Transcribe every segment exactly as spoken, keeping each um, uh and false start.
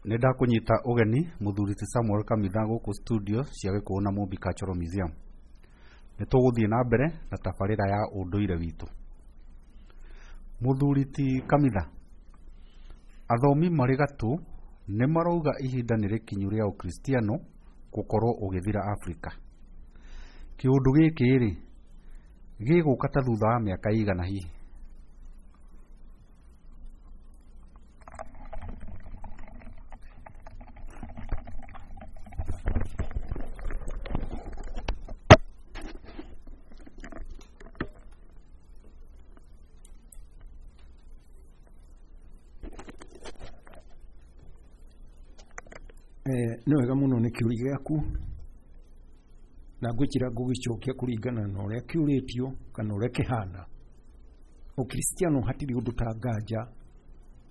Nĩ ndakũnyita ũgeni mũthuri ti Samuel Kamitha gũkũ studio cia Gĩkũyũ na Mũmbi Cultural Museum. Nĩ tũgũthiĩ na mbere na tabarĩra ya ũndũire witũ. Mũthuri ti Kamitha, athomi marĩ gatũ nĩ marauga ihinda nĩ rĩkinyu rĩa ũkristiano gũkorwo ũgĩthira Afrika. Kĩũndũ gĩkĩ rĩ, gĩgũka ta thutha wa mĩaka ĩigana hihi? Eh, nĩ wega mũno nĩ kĩũria gĩaku na ngwĩkĩra ngũgĩcokia kũringana na ũrĩa kĩũrĩtio kana ũrĩa kĩhana. Ũkristiano hatirĩ ũndũ ta nganja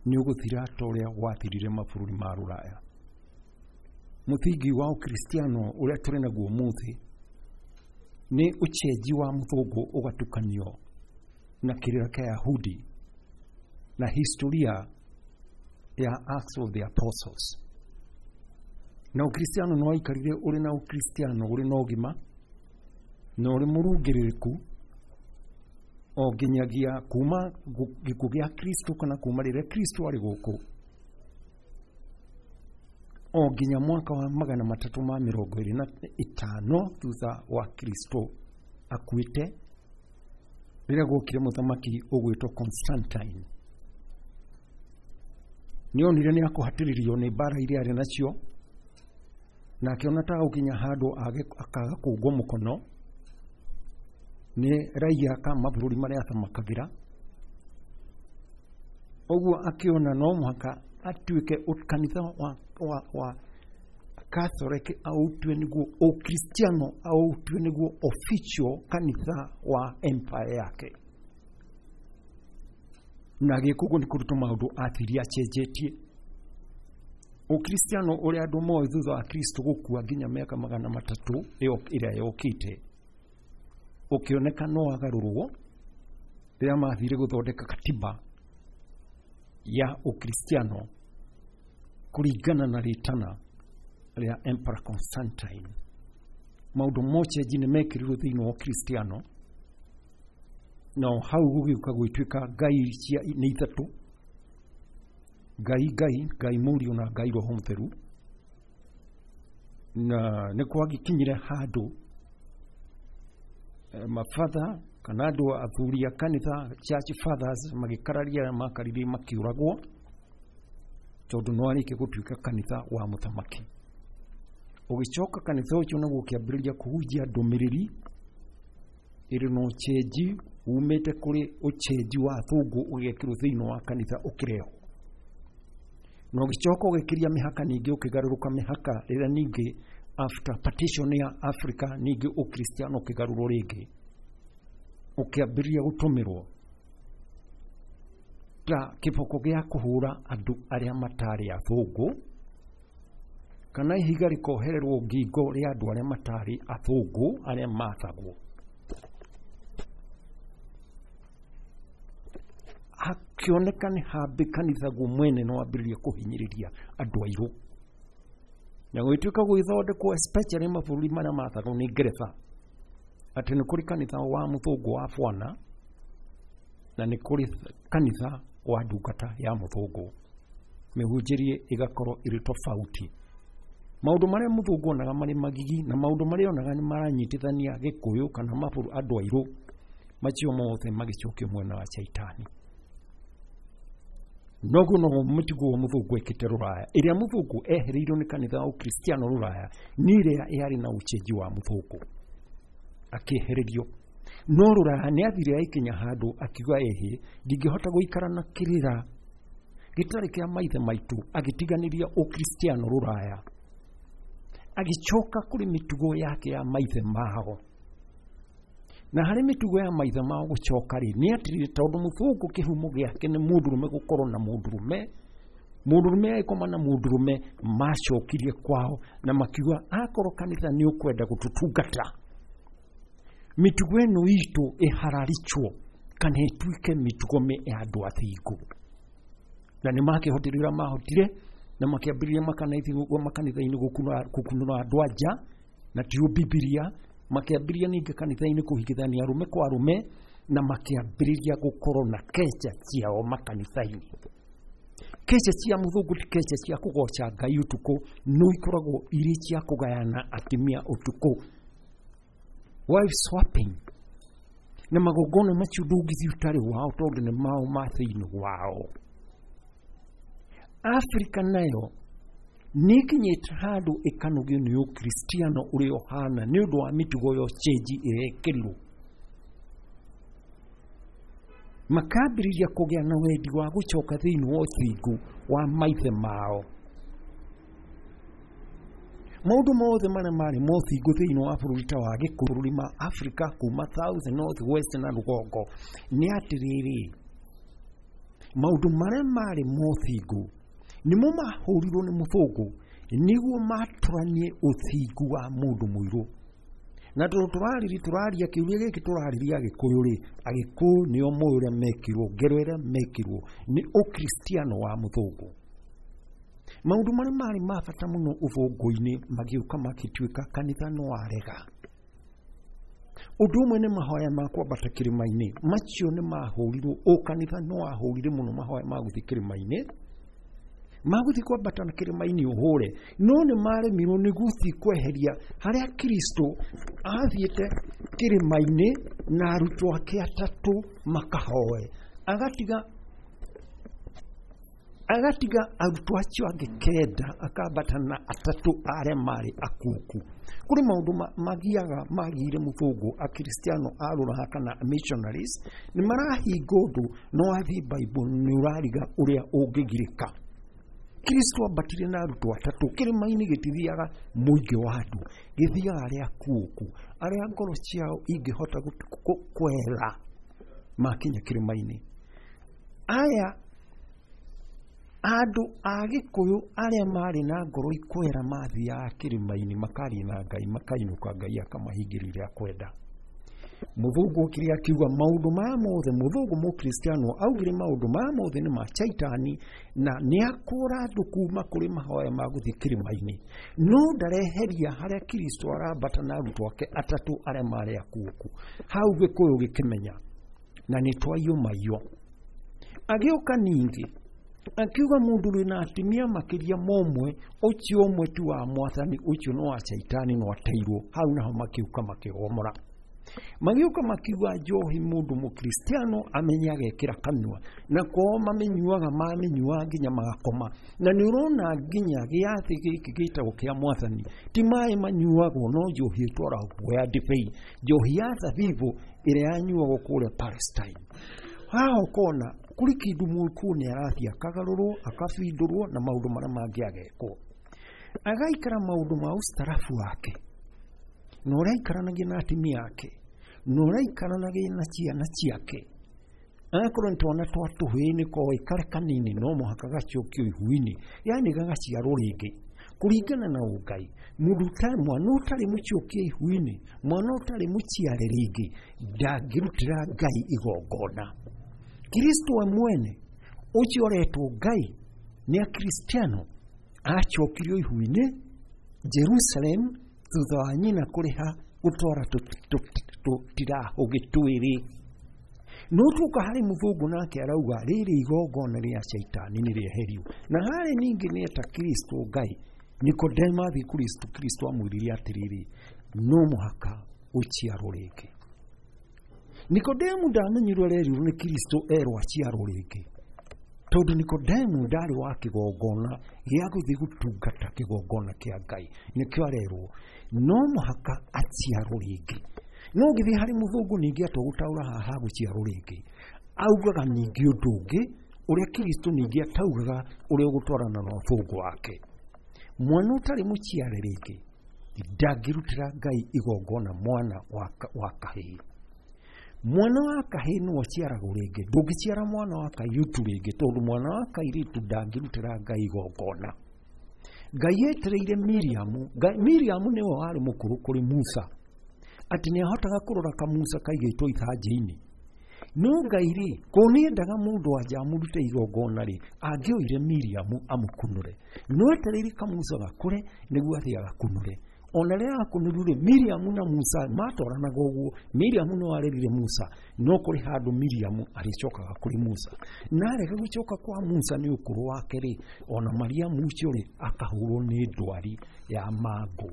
nĩ ũgũthira ta ũrĩa wathirire mabũrũri ma rũraya. Mũthingi wa ũkristiano ũrĩa tũrĩ naguo ũmũthĩ nĩ ũcenji wa mũthũngũ ũgatukanio na kĩrĩra kĩa Yahudi na historia ya Acts of the Apostles. Na ũkristiano nĩ waikarire ũrĩ na ũkristiano ũrĩ na ũgima na ũrĩ mũrũngĩrĩrĩku o nginyagia kuma gĩkuũ gĩa Kristo kana kuma rĩrĩa Kristo arĩ gũkũ o nginya mwaka wa magana matatũ ma mĩrongo ĩrĩ na ĩtano thutha wa Kristo akuĩte, rĩrĩa gwokire mũthamaki ũgwĩtwo Constantine. Nĩ onire nĩ akũhatĩrĩrio nĩ mbara iria arĩ nacio na akĩona ta gũkinya handũ akaga kũngwo mũkono nĩ raia ka mabũrũri marĩa athamakagĩra. Ũguo akĩona no mũhaka atuĩke kanitha wa, wa, wa Catholic autue nĩguo ũkristiano autue nĩguo official kanitha wa empire yake. Na agĩka ũguo nĩ kũruta maũndũ athire acenjetie. Ũkristiano ũrĩa andũ moĩ thutha wa Kristo gũkua nginya mĩaka magana matatũ ĩrĩa yokĩte ũkĩoneka no wagarũrwo rĩrĩa mathire gũthondeka katiba ya ũkristiano kũringana na rĩtana rĩa Emperor Constantine. Maũndũ mocenji nĩ mekĩrirwo thĩinĩ wa ũkristiano na hau gũgĩũka gwĩtuĩka ngai cia nĩ ithatũ, Ngai Ngai, Ngai Mũriũ na Ngai Roho Mũtheru. Na nĩ kwagĩkinyire handũ mabatha kana andũ athuri a kanitha church fathers magĩkararia arĩa makaririe makiũragwo tondũ no arĩkie gũtuĩka kanitha wa mũthamaki. Ũgĩcoka kanitha ũcio naguo ũkĩambĩrĩria kũhunjia ndũmĩrĩri ĩrĩ na ũcenji umĩte kũrĩ ũcenji wa athũngũ ũgekĩrwo thĩinĩ wa kanitha ũkĩrehwo. Na ũgĩcoka ũgĩkĩria mĩhaka ningĩ ũkĩgarũrũka mĩhaka rĩrĩa ningĩ after partition ya Africa ningĩ ũkristiano ũkĩgarũrwo rĩngĩ ũkĩambĩrĩria gũtũmĩrwo ta kĩboko gĩa kũhũra andũ arĩa matarĩ athũngũ kana ihiga rĩkohererwo ngingo rĩa andũ arĩa matarĩ athũngũ arĩa mathagwo. Hakĩoneka nĩ hambĩ kanitha guo mwene no wambĩrĩria kũhinyĩrĩria andũ airũ na gũgĩtuĩka gũgĩthondekwo especially mabũrũri marĩa mathagwo nĩ Ngeretha atĩ nĩ kũrĩ kanitha wa mũthũngũ wa bwana na nĩ kũrĩ kanitha wa ndungata ya mũthũngũ, mĩhunjĩrie ĩgakorwo ĩrĩ tofauti. Maũndũ marĩa mũthũngũ onaga marĩ magigi na maũndũ marĩa onaga nĩ maranyitithania Gĩkũyũ kana mabũrũri andũ airũ macio mothe magĩcokio mwena wa Shaitani. Noguo noguo mũtugo wa mũthũngũ ekĩte rũraya ĩrĩa mũthũngũ ehereirio nĩ kanitha wa ũkristiano rũraya nĩ ĩrĩa yarĩ na ũcenji wa mũthũngũ akĩehererio. No rũraya nĩ athire aikinya handũ akiuga ĩhĩ ndingĩhota gũikara na kĩrĩra gĩtarĩ kĩa maithe maitũ, agĩtiganĩria ũkristiano rũraya agĩcoka kũrĩ mĩtugo yake ya maithe mao. Na harĩ mĩtugo ya maithe mao gũcoka rĩ nĩ atĩrĩrĩ, tondũ mũthũngũ kĩhumo gĩake nĩ mũndũrũme gũkorwo na mũndũrũme, mũndũrũme agĩkoma na mũndũrũme, macokirie kwao na makiuga akorwo kanitha nĩ ũkwenda gũtũtungata mĩtugo ĩno itũ ĩhararichwo kana ĩtuĩke mĩtugo ya andũ athingu. Na nĩ makĩhotire ũrĩa mahotire Na makĩambĩrĩria makanitha-inĩ gũkunũra andũ a nja na tio Bibilia, makĩambĩrĩria ningĩ kanitha-inĩ kũhikithania arũme kwa arũme, na makĩambĩrĩria gũkorwo na keca ciao makanitha-inĩ. Keca cia mũthũngũ ti keca cia kũgoca Ngai ũtukũ, no ikoragwo irĩ cia kũgayana atumia ũtukũ, wife swapping. Na magongona macio ndũngĩthiĩ ũtarĩ wao tondũ nĩ mao ma thĩinĩ wao. Afrika nayo nĩ ĩkinyĩte handũ ĩkanogio nĩ ũkristiano ũrĩa ũhana nĩ ũndũ wa mĩtugo ya ũcenji ĩrekĩrirwo. Makambĩrĩria kũgĩa na wendi wa gũcoka thĩinĩ wa ũthingu wa maithe mao. Maũndũ mothe marĩa marĩ ma ũthingu thĩinĩ wa bũrũri ta wa Gĩkũyũ, bũrũri ma Afrika kuma South, North, West na rũgongo, nĩ atĩrĩrĩ, maũndũ marĩa marĩ ma ũthingu nĩmo mahũrirwo nĩ mũthũngũ nĩguo matũranie ũthingu wa mũndũ mũirũ. Na tondũ tũrarĩria tũraria kĩũria gĩkĩ tũrarĩria Agĩkũyũ rĩ, Agĩkũyũ nĩo moĩ ũrĩa mekirwo, ngero ĩrĩa mekirwo nĩ ũkristiano wa mũthũngũ. Maũndũ marĩa marĩ ma bata mũno ũthũngũ-inĩ magĩũka magĩtuĩka kanitha no warega. Ũndũ ũmwe nĩ mahoya ma kwambata kĩrĩma-inĩ, macio nĩ mahũrirwo, o kanitha no wahũrire mũno mahoya ma gũthiĩ kĩrĩma-inĩ, ma gũthiĩ kwambata na kĩrĩma-inĩ ũhũre, no nĩ maremirwo nĩ gũthiĩ kweheria harĩa Kristo athiĩte kĩrĩma-inĩ na arutwo ake atatũ makahoe, agatiga agatiga arutwo acio angĩ kenda akambata na atatũ arĩa marĩ akuũku. Kũrĩ maũndũ magiaga magĩire mũthũngũ akristiano a rũraya kana missionaries nĩ marahinga ũndũ, no wathiĩ Bible nĩ ũrariga ũrĩa ũngĩgirĩka. Kristo ambatire na arutwo atatũ kĩrĩma-inĩ, gĩtithiaga mũingĩ wa andũ, gĩthiaga arĩa akuũku, arĩa ngoro ciao ingĩhota kwera makinya kĩrĩma-inĩ. Aya andũ a Gĩkũyũ arĩa marĩ na ngoro ikwera mathiaga kĩrĩma-inĩ makaria na Ngai, makainũka Ngai akamahingĩria ũrĩa akwenda. Mũthũngũ okire akiuga maũndũ maya mothe, mũthũngũ mũkristiano augire maũndũ maya mothe nĩ ma Shaitani na nĩ akũra andũ kuma kũrĩ mahoya ma gũthiĩ kĩrĩma-inĩ, no ndareheria harĩa Kristo arambata na arutwo ake atatũ arĩa marĩ akuũku. Hau Gĩkũyũ gĩkĩmenya na nĩ twaiyũmaiywo. Agĩũka ningĩ akiuga mũndũ wĩna na atumia makĩria ma ũmwe, ũcio ũmwe ti wa mwathani, ũcio no wa Shaitani, no ateirwo. Hau naho makĩũka makĩgomora, magĩũka makiuga njohi mũndũ mũkristiano amenye agekĩra kanua, na kwao mamĩnyuaga mamĩnyuaga nginya magakoma. Na nĩ ũrona nginya gĩathĩ gĩkĩ gĩtagwo kĩa mwathani ti maĩ manyuagwo, no njohi ĩtwaragwo ya ndibei, njohi ya thabibũ ĩrĩa yanyuagwo kũrĩa Palestine. Haha ũkona kũrĩ kĩndũ mũkũyũ nĩ arathiĩ akagarũrwo akabindũrwo na maũndũ marĩa mangĩ agekwo, agaikara maũndũ ma ũstarabu wake na ũrĩa aikaranagia na atumia ake na ũrĩa aikaranagia na ciana ciake. Agakorwo nĩ twana twa tũhĩĩ nĩ koĩ karĩ kanini no mũhaka gacokio ihu-inĩ, yaani gagaciarwo rĩngĩ kũringana na ũngai. Mũndũ ũtarĩ mwana ũtarĩ mũcokie ihu-inĩ, mwana ũtarĩ mũciare rĩngĩ ndangĩrutĩra Ngai igongona. Kristo we mwene ũcio ũretwo Ngai nĩ akristiano acokirio ihu-inĩ Jerusalem thutha wa nyina kũrĩha gũtwara tũtirahũgĩ twĩrĩ. No tuoka harĩ mũthũngũ nake arauga rĩrĩ igongona rĩa Shaitani nĩ rĩeherio. Na harĩ ningĩ nĩ eta Kristo Ngai. Nikodemo athiĩ Kristo, Kristo amwĩrire atĩrĩrĩ, no mũhaka ũciarwo rĩngĩ. Nikodemu ndamenyirwo arerirwo nĩ Kristo erwo aciarwo rĩngĩ, tondũ Nikodemu ndarĩ wa kĩgongona gĩa gũthiĩ gũtungata kĩgongona kĩa Ngai, nĩkĩo arerwo no mũhaka aciarwo rĩngĩ. No ũngĩthiĩ harĩ mũthũngũ ningĩ atua gũtaũra haha gũciarwo rĩngĩ, augaga ningĩ ũndũ ũngĩ ũrĩa Kristo ningĩ ataugaga ũrĩa ũgũtwarana na ũthũngũ wake. Mwana ũtarĩ mũciare rĩngĩ ndangĩrutĩra Ngai igongona mwana wa kahĩĩ. Mwana wa kahĩĩ nĩwe ũciaragwo rĩngĩ, ndũngĩciara mwana wa kairĩtu rĩngĩ, tondũ mwana wa kairĩtu ndangĩrutĩra Ngai igongona. Ngai etereire Miriamu, Miriamu nĩwe warĩ mũkũrũ kũrĩ Musa, atĩ nĩ ahotaga kũrora kamusa kaigĩtwo ithanjĩ-inĩ. No Ngai rĩ, ko nĩendaga mũndũ wanja amũrute igongona rĩ, angĩoire Miriamu amũkunũre. No etereire kamusa gakũre nĩguo athiĩ agakunũre. Ona rĩrĩa akunũrirwo rĩ, Miriamu na Musa matwaranaga ũguo. Miriamu no arerire Musa, no kũrĩ handũ Miriamu arĩcokaga kũrĩ Musa. Na arega gũcoka kwa Musa nĩ ũkũrũ wake rĩ, ona Mariamu ũcio rĩ, akahũrwo nĩ ndwari ya mangũ.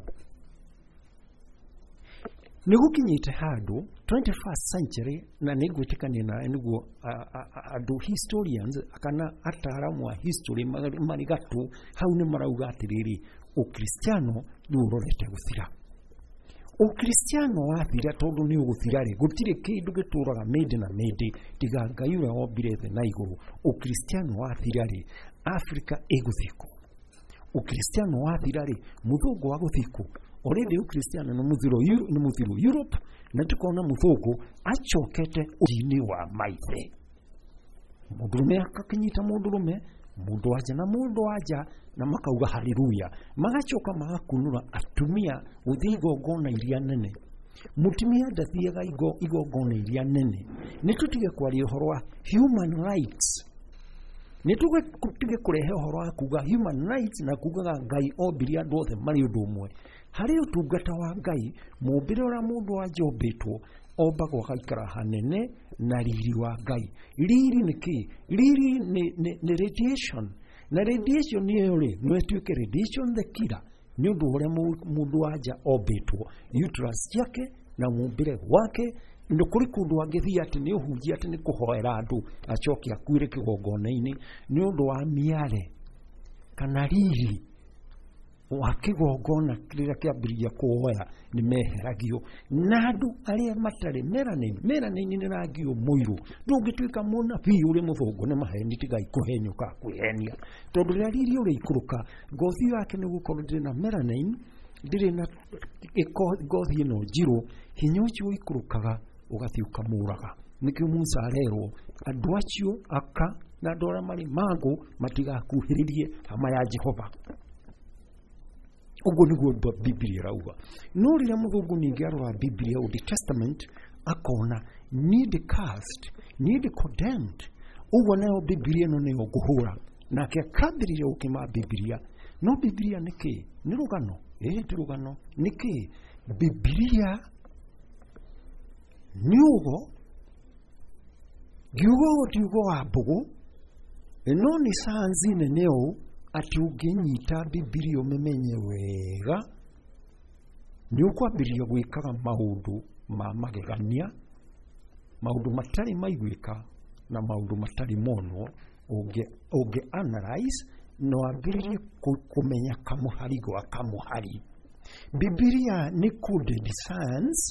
Nĩ gũkinyĩte handũ twenty-first century, na nĩ ngwĩtĩkania nawe nĩguo andũ historians kana ataaramu a history marĩ gatũ hau nĩ marauga atĩrĩrĩ, Ũkristiano nĩ ũrorete gũthira. Ũkristiano wathira tondũ nĩ ũgũthira rĩ, gũtirĩ kĩndũ gĩtũraga mĩndĩ na mĩndĩ tiga Ngai ũrĩa wombire thĩ na igũrũ. Ũkristiano wathira rĩ, Afrika ĩgũthiĩ kũ? Ũkristiano wathira rĩ, mũthũngũ wa gũthiĩ kũ? Already Ũkristiano nĩ mũthiro nĩ mũthiru Europe, na tukona mũthũngũ acokete ũini wa maithe. Mũndũrũme akakĩnyita mũndũrũme, mũndũ wanja na mũndũ wanja, na makauga haleluya. Magacoka magakunũra atumia gũthiĩ igongona iria nene. Mũtumia ndathiaga igongona iria nene. Nĩ tũtige kwaria ũhoro wa human rights. Nĩ tũtige kũrehe ũhoro wa kuga human rights na kugaga Ngai ombire andũ othe marĩ ũndũ ũmwe. Harĩ ũtungata wa Ngai, mũmbĩre ũrĩa mũndũ wanja ombĩtwo, ombagwo agaikara hanene na riri wa Ngai. Riri nĩ kĩ? Riri nĩ, nĩ, nĩ radiation. Na radiation ĩyo rĩ, no ĩtuĩke radiation the killer nĩ ũndũ ũrĩa mũndũ wanja ombĩtwo, uterus ciake na mũmbĩre wake. Nĩ kũrĩ kũndũ angĩthiĩ atĩ nĩ ũhunjia atĩ nĩ kũhoera andũ acoke akuĩre kĩgongona-inĩ nĩ ũndũ wa mĩare kana riri wa kĩgongona kĩrĩa kĩambĩrĩria kuoya nĩ meheragio. Na andũ arĩa matarĩ melanin, melanin nĩ rangi mũirũ. Ndũngĩtuĩka mũnabii ũrĩ mũthũngũ nĩ maheni, tigai kũhenyũka kwĩhenia, tondũ rĩrĩa riri ũrĩikũrũka ngothi yake nĩ gũkorwo ndĩrĩ na melanin, ndĩrĩ na ngothi ĩno njirũ, hinya ũcio ũikũrũkaga ũgathiĩ ũkamũraga. Nĩkĩo Musa arerwo andũ acio aka na andũ arĩa marĩ mangũ matigakuhĩrĩrie hama ya Jehova. Ũguo nĩguo Biblia ĩrauga. No rĩrĩa mũthũngũ ningĩ arora Biblia Old Testament akona niĩ ndĩ cursed, niĩ ndĩ condemned, ũguo nayo Biblia ĩno nĩyo ngũhũra. Nake akambĩrĩria gũkĩma Biblia. No Biblia nĩ kĩ? Nĩ rũgano? Ĩĩ ti rũgano. Nĩ kĩ? Biblia nĩ ũgo. Ngiuga ũguo ti ugo wa mbũgũ, no nĩ sayansi nene ũũ atĩ ũngĩnyita Biblia ũmĩmenye wega nĩ ũkwambĩrĩria gwĩkaga maũndũ ma magegania, maũndũ matarĩ maiguĩka na maũndũ matarĩ monwo. Ũngĩ ũngĩ analyze na wambĩrĩrie kũmenya kamũhari gwa kamũhari. Biblia nĩ coded science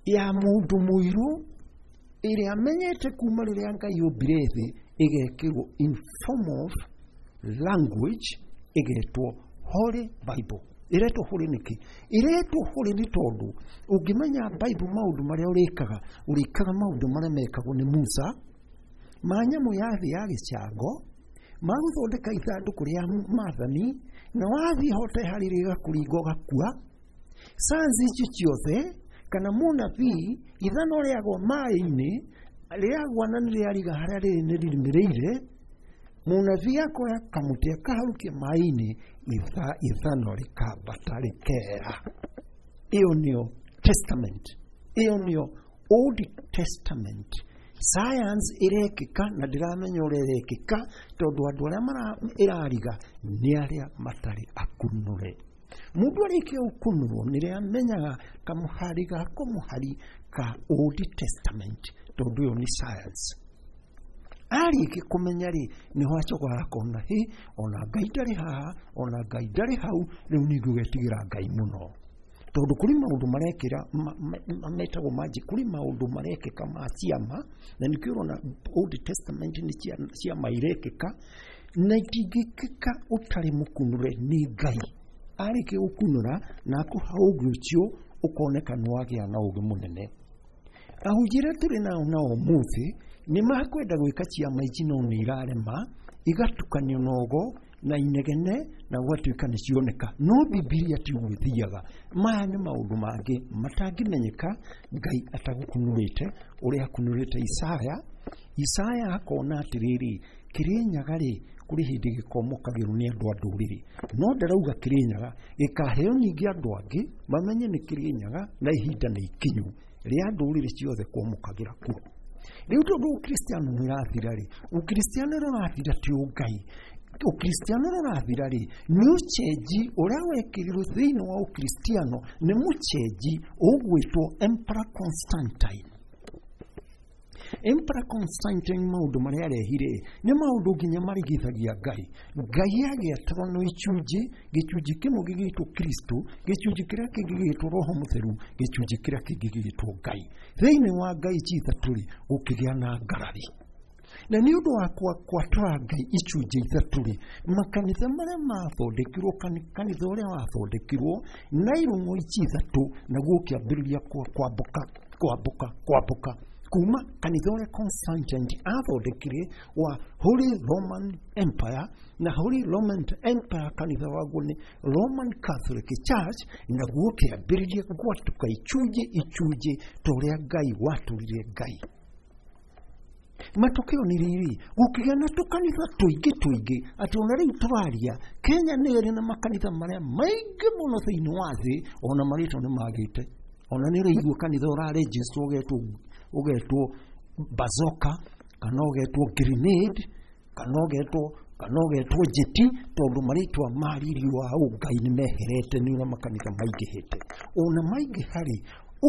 ya mũndũ mũirũ ĩrĩa amenyete kuma rĩrĩa Ngai ombire thĩ, ĩgekĩrwo in form of language, ĩgetwo Holy Bible. Ĩretwo Holy nĩkĩ? Ĩretwo Holy nĩ tondũ ũngĩmenya Bible maũndũ marĩa ũrĩkaga, ũrĩkaga maũndũ marĩa mekagwo nĩ Musa, ma nyamũ ya thĩ ya gĩcango, ma gũthondeka ithandũkũ rĩa maathani, na wathiĩ hote harĩ rĩgakũringa ũgakua. Sayansi icio ciothe kana mũnabii ithano rĩagwa maĩ-inĩ, rĩagwa na nĩrĩariga harĩa rĩrĩ nĩ rĩrĩmĩrĩire, mũnabii akoya kamũtĩ akaharũkia maĩ-inĩ, ithano rĩkambata rĩkera. Ĩyo nĩyo testament, ĩyo nĩyo Old Testament. Science ĩrekĩka na ndĩramenya ũrĩa ĩrekĩka tondũ andũ arĩa ĩrariga nĩ arĩa matarĩ akunũre. Mũndũ arĩkia gũkunũrwo nĩrĩa amenyaga kamũhari ga kamũhari ka Old Testament, tondũ ĩyo nĩ science. Arĩkia kũmenya rĩ, nĩho acokaga akona hĩ, ona Ngai ndarĩ haha, ona Ngai ndarĩ hau, rĩu nĩ ngũgetigĩra Ngai mũno. Tondũ kũrĩ maũndũ marekĩra metagwo magic, kũrĩ maũndũ marekĩka ma ciama, na nĩkĩo ũrona Old Testament nĩ ciama irekĩka, na itingĩkĩka ũtarĩ mũkunũre nĩ Ngai. Arĩkia gũkunũra na akũha ũũgĩ ũcio, ũkoneka nĩ wagĩa na ũũgĩ mũnene. Ahunjia arĩa tũrĩ nao na ũmũthĩ nĩ makwenda gwĩka ciama ici no nĩ irarema, igatukanio na ũgo na inegene na gwatuĩka nĩ cioneka. No Bibilia ti ũguo ĩthiaga. Maya nĩ maũndũ mangĩ matangĩmenyeka Ngai atagũkunũrĩte ũrĩa akunũrĩte Isaya. Isaya akona atĩrĩrĩ, Kĩrĩnyaga rĩ kũrĩ hĩndĩ gĩkomokagĩrwo nĩ andũ a ndũrĩrĩ, no ndarauga Kĩrĩnyaga gĩkaheo ningĩ andũ angĩ mamenye nĩ Kĩrĩnyaga na ihinda nĩ ikinyu rĩa ndũrĩrĩ ciothe kwamũkagĩra kuo. Rĩu tondũ ũkristiano nĩ ũrathira rĩ, ũkristiano ũrĩa ũrathira ti ũngai, ũkristiano ũrĩa ũrathira rĩ nĩ ũcenji ũrĩa wekĩrirwo thĩinĩ wa ũkristiano nĩ mũcenji ũgwĩtwo Emperor Constantine. Emperor Constantine maũndũ marĩa arehire nĩ maũndũ nginya marigithagia Ngai. Ngai agĩatũrwo no icunjĩ, gĩcunjĩ kĩmwe gĩgĩtwo Kristo, gĩcunjĩ kĩrĩa kĩngĩ gĩgĩtwo Roho Mũtheru, gĩcunjĩ kĩrĩa kĩngĩ gĩgĩtwo Ngai. Thĩinĩ wa Ngai ici ithatũ rĩ, gũkĩgĩa na ngarari. Na nĩ ũndũ wa kwatũra Ngai icunjĩ ithatũ rĩ, makanitha marĩa mathondekirwo, kanitha ũrĩa wathondekirwo na irũng'o ici ithatũ, naguo ũkĩambĩrĩria kwambũka kwambũka kwambũka kuma kanitha ũrĩa Constantine athondekire wa Holy Roman Empire, na Holy Roman Empire kanitha waguo nĩ Roman Catholic Church, naguo ũkĩambĩrĩria gwatũka icunjĩ icunjĩ ta ũrĩa Ngai watũrire Ngai. Matokeo nĩ rĩrĩ, gũkĩgĩa na tũkanitha tũingĩ tũingĩ atĩ ona rĩu tũraria Kenya nĩ ĩrĩ na makanitha marĩa maingĩ mũno thĩinĩ wa thĩ, ona marĩtwa nĩ magĩte. Ona nĩ ũraigua kanitha ũrarejestwo ũgetwo ũgetwo Bazooka kana ũgetwo Grenade kana ũgetwo kana ũgetwo Jeti, tondũ marĩtwa ma riri wa ũngai nĩ meherete nĩ ũrĩa makanitha maingĩhĩte. Ona maingĩha rĩ,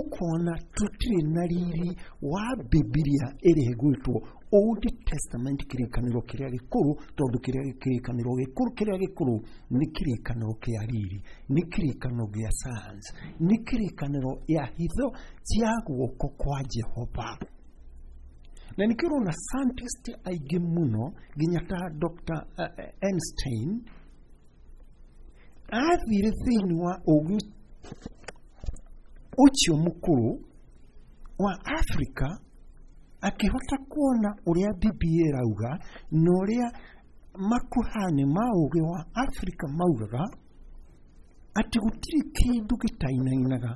ũkona tũtirĩ na riri wa Bibilia ĩrĩa ĩgwĩtwo Old Testament, kĩrĩkanĩro kĩrĩa gĩkũrũ, tondũ kĩrĩa kĩrĩkanĩro gĩkũrũ kĩrĩa gĩkũrũ nĩ kĩrĩkanĩro kĩa riri, nĩ kĩrĩkanĩro gĩa science, nĩ kĩrĩkanĩro ya hitho cia guoko kwa Jehova. Na nĩkĩo ũrona scientist aingĩ mũno nginya ta Doctor Einstein athire thĩinĩ wa ũgĩ ũcio mũkũrũ wa Afrika akĩhota kuona ũrĩa Bibilia ĩrauga na ũrĩa makuhani ma ũgĩ wa Afrika maugaga atĩ gũtirĩ kĩndũ gĩtainainaga.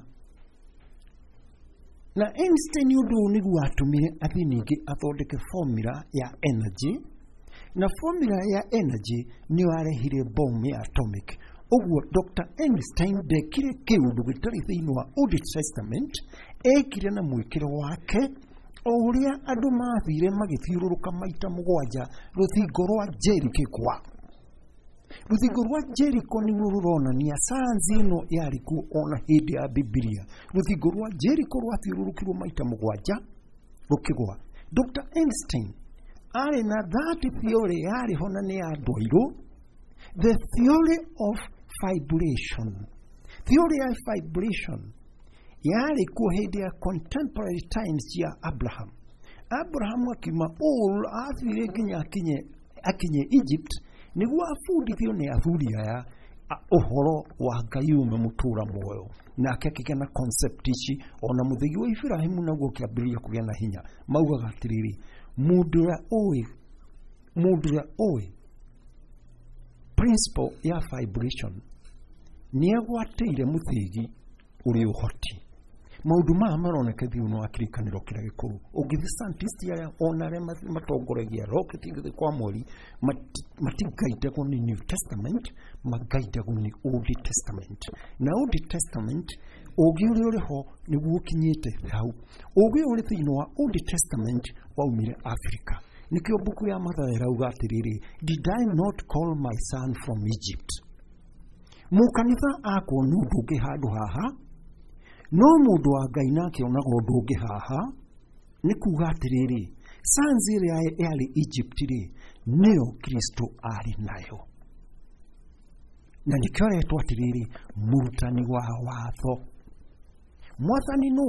Na Einstein ũndũ ũyũ nĩguo watũmire athiĩ ningĩ athondeke formula ya energy, na formula ya energy nĩyo yarehire bomb ya atomic. Ũguo Doctor Einstein ndekire kĩũndũ gĩtarĩ thĩinĩ wa Old Testament, ekire na mwĩkĩro wake o ũrĩa andũ mathire magĩthiũrũrũka maita mũgwanja rũthingo rwa Jericho. Rũthingo rwa Jericho nĩruo rũronania sayansi ĩno yarĩ kuo ona hĩndĩ ya Bibilia. Rũthingo rwa Jericho rwathiũrũrũkirwo maita mũgwanja rũkĩgwa. Doctor Einstein arĩ na that theory yarĩ ho na nĩ ya andũ airũ, the theory of vibration. Theory ya vibration yarĩ kuo hĩndĩ ya contemporary times ya Abraham. Abraham akiuma Ur athire nginya akinye akinye Egypt nĩguo abundithio nĩ athuri aya ũhoro wa Ngai ume mũtũra muoyo. Nake akĩgĩa na concept ici, ona mũthĩgi wa Ibrahimu naguo ũkĩambĩrĩria kũgĩa na hinya. Maugaga atĩrĩrĩ, mũndũ ũrĩa ũĩ mũndũ ũrĩa ũĩ principle ya vibration nĩ agwatĩire mũthĩgi ũrĩ ũhoti. Maũndũ maya maroneka thĩinĩ wa kĩrĩkanĩro kĩrĩa gĩkũrũ. Ũngĩthiĩ scientist arĩa ona arĩa matongoragia rocket gũthiĩ kwa mweri matigaidagwo nĩ New Testament, magaidagwo nĩ Old Testament. Na Old Testament ũgĩ ũrĩa ũrĩ ho nĩguo ũkinyĩte hau. Ũgĩ ũrĩ thĩinĩ wa Old Testament waumire Africa. Nĩkĩo mbuku ya Mathayo ĩrauga atĩrĩrĩ, did I not call my son from Egypt? Mũkanitha akuona ũndũ ũngĩ handũ haha, no mũndũ wa Ngai nake onaga ũndũ ũngĩ haha. Nĩ kuga atĩrĩrĩ, sayansi ĩrĩa yarĩ Egypt rĩ, nĩyo Kristo arĩ nayo. Na nĩkĩo aretwo atĩrĩrĩ, mũrutani wa watho. Mwathani nũ?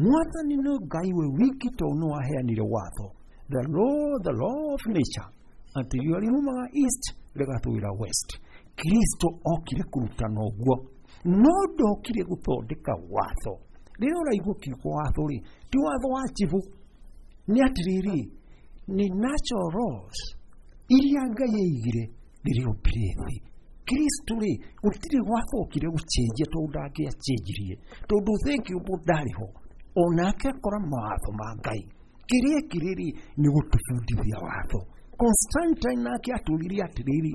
Mwathani nĩ Ngai we wiki tondũ nĩwe waheanire watho. The law, the law of nature, atĩ riũa riumaga east rĩgathũĩra west. Kristo okire kũrutana ũguo, no ndokire gũthondeka watho. Rĩrĩa ũraigua kiugo watho rĩ, ti watho wa chibũ, nĩ atĩrĩrĩ, nĩ natural laws iria Ngai aigire Rĩrĩa ombire thĩ Kristo rĩ gũtirĩ gwacokire gũcenjia tondũ ndangĩacenjirie tondũ thengiũ ndarĩ ho onake akora mawatho ma Ngai kĩrĩa ekire rĩ nĩ gũtũbundithia watho. Constantine nake atũririe atĩrĩrĩ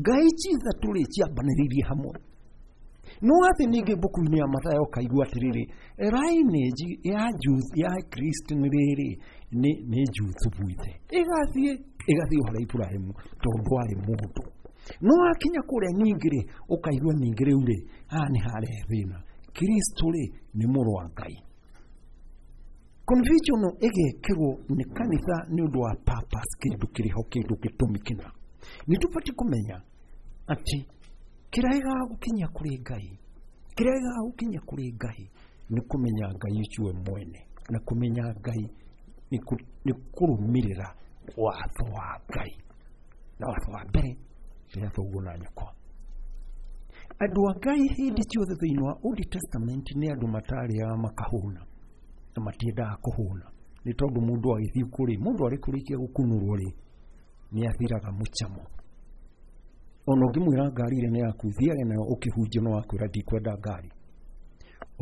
Ngai ici ithatũ rĩ ciambanĩrĩirie hamwe. No atĩ ningĩ mbuku-inĩ ya Mathayo ũkaigua atĩrĩrĩ lineage ya Jews ya Kristo nĩ rĩrĩ nĩ nĩ Juthubu ithe ĩgathiĩ ĩgathiĩ harĩ Ibrahimu tondũ arĩ mũndũ. No akinya kũrĩa ningĩ rĩ ũkaigua ningĩ rĩu rĩ haha nĩ harehe thĩna. Kristo rĩ nĩ mũrũ wa Ngai. Confusion ĩgekĩrwo nĩ kanitha nĩ ũndũ wa purpose kĩndũ kĩrĩho kĩndũ gĩtũmi kĩna. Nĩ tũbatiĩ kũmenya atĩ kĩrĩa gĩgagũkinyia kũrĩ Ngai kĩrĩa gĩgagũkinyia kũrĩ Ngai nĩ kũmenya Ngai ũcio we mwene na kũmenya Ngai nĩ kũrũmĩrĩra watho wa Ngai. Na watho wa mbere nĩ thoguo na nyũkwa. Andũ a Ngai hĩndĩ ciothe thĩinĩ wa Old Testament nĩ andũ matarĩaga makahũna na matiendaga kũhũna nĩ tondũ mũndũ agĩthiĩ kũrĩ mũndũ arĩ kũrĩkia gũkunũrwo rĩ nĩ athiraga mũcamo. Ona ũngĩmwĩra ngari ĩrĩa nĩ yaku thiage nayo ũkĩhunjia no akwĩra ndikwenda ngari.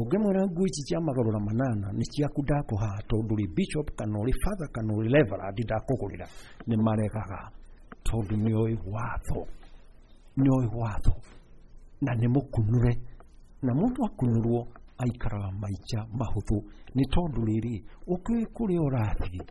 Ũngĩmwĩra nguo ici cia magarũra manana nĩ ciaku ndakũhaha tondũ ũrĩ bishop kana ũrĩ father kana ũrĩ reverend ndakũgũrĩra nĩ maregaga tondũ nĩoĩ watho nĩoĩ watho na nĩ mũkunũre na mũndũ akunũrwo aikaraga maica mahũthũ nĩ tondũ rĩrĩ ũkĩũĩ kũrĩa ũrathiĩ.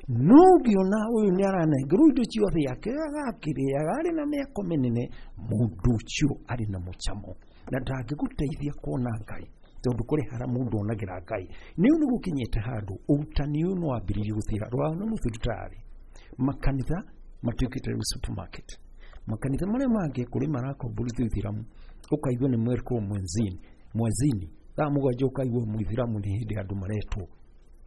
No ũngĩona ũyũ nĩ aranengerwo indo ciothe akĩrĩaga akĩrĩaga arĩ na mĩako mĩnene mũndũ ũcio arĩ na mũcamo na ndangĩgũteithia kuona Ngai tondũ kũrĩ harĩa mũndũ onagĩra Ngai. Nĩ ũũ nĩgũkinyĩte handũ ũrutani ũyũ nĩ wambĩrĩirie gũthira rwao na mũthuri tarĩ makanitha matuĩkĩte rĩu supermarket. Makanitha marĩa mangĩ kũrĩ marakomborithio ithiramu ũkaigua nĩ mwerkwo mwenzini mwezini thaa mũgwanja ũkaigua mũithiramu nĩ hĩndĩ andũ maretwo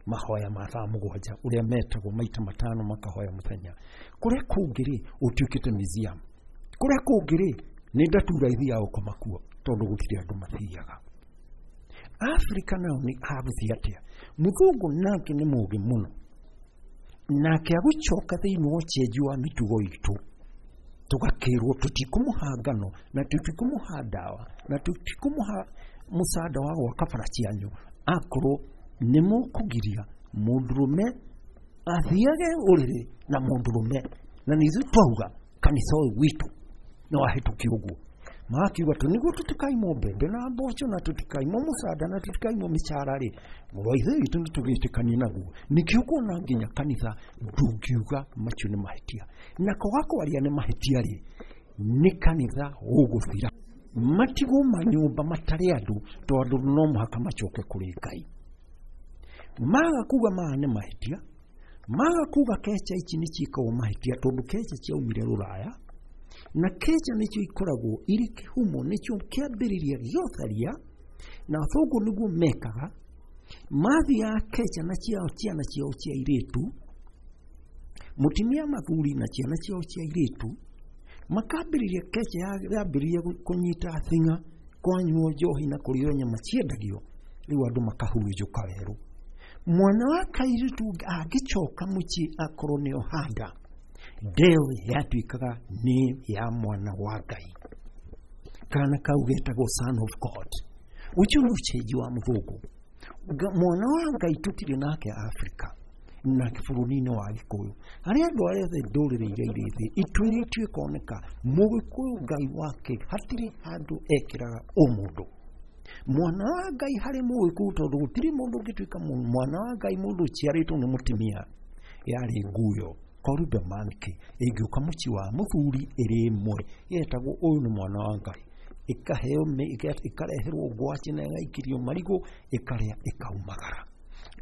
mahoya ma thaa mũgwanja ũrĩa metagwo maita matano makahoya mũthenya. Kũrĩa kũngĩ rĩ ũtuĩkĩte museum. Kũrĩa kũngĩ rĩ nĩ ndatura ithiaga gũkoma kuo tondũ gũtirĩ andũ mathiaga. Afrika nao nĩ hagũthiĩ atĩa? Mũthũngũ nake nĩ mũũgĩ mũno nake agũcoka thĩinĩ wa ũcenjio wa mĩtugo itũ tũgakĩrwo tũtikũmũha ngano na tũtikũmũha ndawa na tũtikũmũha mũcanda wa gwaka bara cianyu akorwo nĩ mũkũgiria mũndũrũme athiage ũrĩrĩ na mũndũrũme na nĩ ithuĩ twauga kanitha ũyũ witũ no wahĩtũkio ũguo. Makiuga tũ nĩguo tũtikaimwo mbembe na mboco na tũtikaimwo mũcanda na tũtikaimwo mĩcara rĩ mũrũ wa ithe witũ nĩ tũgĩtĩkanie naguo. Nĩkĩo ũkuona nginya kanitha ndũngiuga macio nĩ mahĩtia na kwaga kwaria nĩ mahĩtia rĩ nĩ kanitha ũgũthira matigwo manyũmba matarĩ andũ tondũ no mũhaka macoke kũrĩ Ngai. Maga kuga maya nĩ mahĩtia maga kuga kecha ici nĩ ciĩkagwo mahĩtia tondũ kecha ciaumire rũraya na kecha nĩcio ikoragwo irĩ kĩhumo nĩcio kĩambĩrĩria gĩa ũtharia na athũngũ nĩguo mekaga mathiaga kecha na ciao ciana ciao cia airĩtu mũtumia mathuri na ciana ciao cia airĩtu makambĩrĩria kecha yambĩrĩria kũnyita thing'a kwanyuo njohi na kũrĩo nyama ciendagio rĩu andũ makahurunjũka werũ. Mwana wa kairĩtu angĩcoka mũciĩ akorwo nĩ ohanda ndeo yatuĩkaga nĩ ya mwana wa Ngai. Kana kau getagwo son of God. Ũcio nĩ ũcenji wa mũthũngũ. Mwana wa Ngai tũtirĩ nake Afrika na bũrũri-inĩ wa Gĩkũyũ harĩa andũ arĩa othe ndũrĩrĩ iria irĩ thĩ ituĩrĩtio ĩkoneka mũgĩkũyũ Ngai wake hatirĩ handũ ekĩraga ũmũndũ. Mwana wa Ngai harĩ mũgĩkũyũ tondũ gũtirĩ mũndũ ũngĩtuĩka mwana wa Ngai mũndũ ũciarĩtwo nĩ mũtumia yarĩ nguyo korube manke ĩngĩũka mũciĩ wa mũthuri ĩrĩ ĩmwe yetagwo ũyũ nĩ mwana wa Ngai ĩkaheo ĩkareherwo ngwacĩ na ĩgaikirio marigũ ĩkarĩa ĩkaumagara.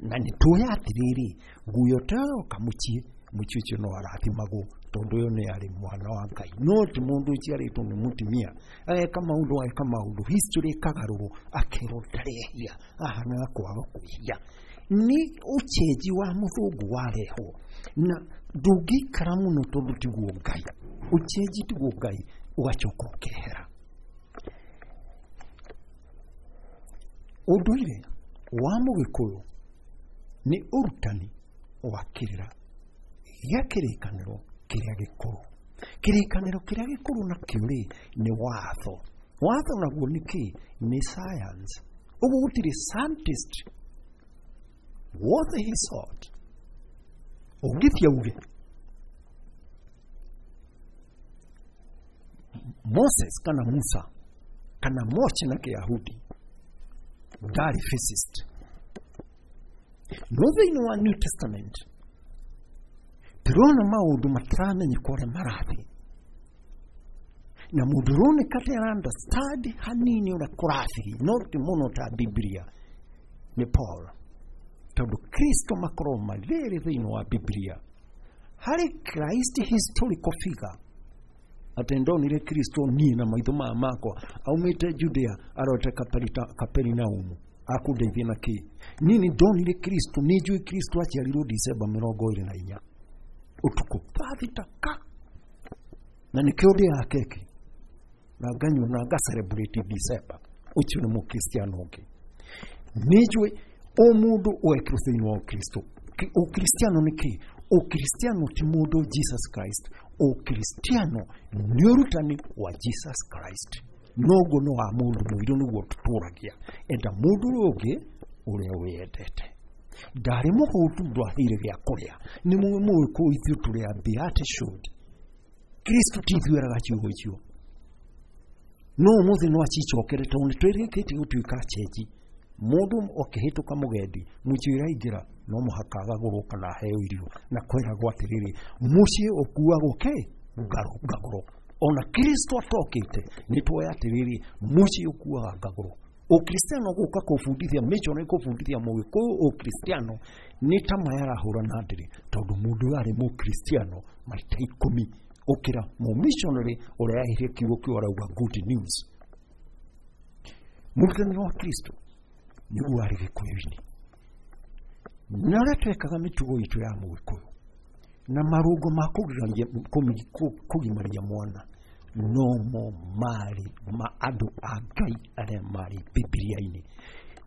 Na nĩ tũĩ atĩrĩrĩ nguyo ta ĩyo yoka mũciĩ mũciĩ ũcio no arathimagwo tondũ ũyũ nĩ arĩ mwana wa Ngai no ti mũndũ ũciarĩtwo nĩ mũtumia ageka maũndũ ageka maũndũ history ĩkagarũrwo akerwo ndarehia ahanaga kwaga kwĩhia. Nĩ ũcenji wa mũthũngũ warehwo na ndũngĩikara mũno tondũ tiguo Ngai ũcenji tiguo Ngai ũgacoka ũkehera. Ũndũire wa mũgĩkũyũ nĩ ũrutani wa kĩrĩra gĩa kĩrĩkanĩro kĩrĩa gĩkũrũ. Kĩrĩkanĩro kĩrĩa gĩkũrũ nakĩo rĩ nĩ watho. Watho naguo nĩ kĩ? Nĩ science. Ũguo gũtirĩ scientist worth his salt ũngĩthiĩ auge Moses kana Musa kana Moshi na Kĩyahudi ndarĩ physicist. No thĩinĩ wa New Testament tũrona maũndũ mataramenyeka ũrĩa marathiĩ, na mũndũ ũroneka ta understand hanini ũrĩa kũrathiĩ, no ti mũno ta Biblia, nĩ Paul, tondũ Kristo makorwo marĩrĩ thĩinĩ wa Biblia. Harĩ Christ historical figure, atĩ ndonire Kristo niĩ na maitho maya makwa aumĩte Judea arorete Kaperinaumu akũndeithia na kĩ. Niĩ nĩ ndonire Kristo, nĩ njũĩ Kristo aciarirwo Dicemba mĩrongo ĩrĩ na inya ũtukũ thaa thita ka, na nĩkĩo ndĩaga keki na nganyua na nga celebrate December. Ũcio nĩ mũkristiano ũngĩ. Nĩ njũĩ o mũndũ wekĩrwo thĩinĩ wa Ũkristo. Ũkristiano nĩ kĩ? Ũkristiano ti mũndũ Jesus Christ. Ũkristiano nĩ ũrutani wa Jesus Christ. Noguo no wa mũndũ mũirũ nĩguo tũtũragia. Enda mũndũ ũrĩa ũngĩ ũrĩa wĩyendete. Ndarĩ mũhũtu ndwaheire gĩa kũrĩa. Nĩ mũĩ mũĩ kũ ithuĩ tũrĩ a beatitude. Kristo ti ithuĩ eraga ciugo icio. No ũmũthĩ no acicokere tondũ nĩ twĩrĩkĩtie gũtuĩka chenji. Mũndũ akĩhĩtũka mũgendi mũciĩ ũraingĩra no mũhaka agagũrwo kana aheo irio, na kwĩragwo atĩrĩrĩ, mũciĩ ũkuagwo kĩ? Ngagũro. Ona Kristo atokĩte nĩ twoya atĩrĩrĩ, mũciĩ ũkuaga ngagũro. Ũkristiano gũka kũbundithia mĩcono ĩkũbundithia mũgĩkũyũ ũkristiano nĩ ta maya arahũra na ndĩrĩ, tondũ mũndũ ũyũ arĩ mũkristiano maita ikũmi gũkĩra mũmissionary ũrĩa aheire kiugo kĩu arauga good news. Mũrutani wa Kristo nĩguo arĩ gĩkũyũ-inĩ, na ũrĩa twekaga mĩtugo itũ ya mũgĩkũyũ na marũngo ma kũgimaria mwana nomo marĩ ma andũ a Ngai arĩa marĩ Bibilia-inĩ.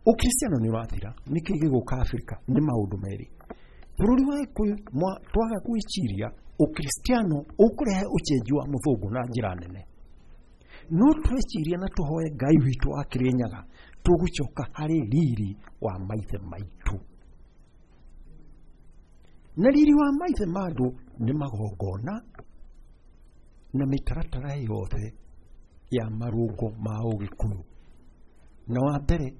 Ũkristiano nĩ ũrathira. Nĩkĩ gĩgũka Afrika? Nĩ maũndũ merĩ. Bũrũri wa Gĩkũyũ twaga gwĩciria ũkristiano ũkũrehe ũcenji wa mũthũngũ na njĩra nene. No tweciria na tũhoe Ngai witũ wa Kĩrĩnyaga, tũgũcoka harĩ riri wa maithe maitũ. Na riri wa maithe ma andũ nĩ magongona na mĩtaratara yothe ya marũngo ma ũgĩkũyũ. Na wa mbere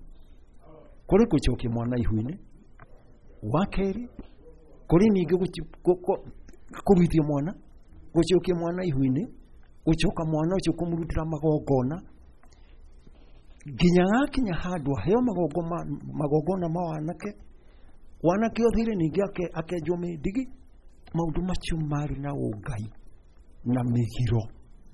kũrĩ gũcokia mwana ihu-inĩ, wa kerĩ kũrĩ ningĩ kũruithia mwana, gũcokia mwana ihu-inĩ, gũcoka mwana ũcio kũmũrutĩra magongona nginya gakinya handũ aheo magongona ma wanake, wanake othire ningĩ akenjwo mĩndigi. Maũndũ macio marĩ na ũngai na mĩgiro.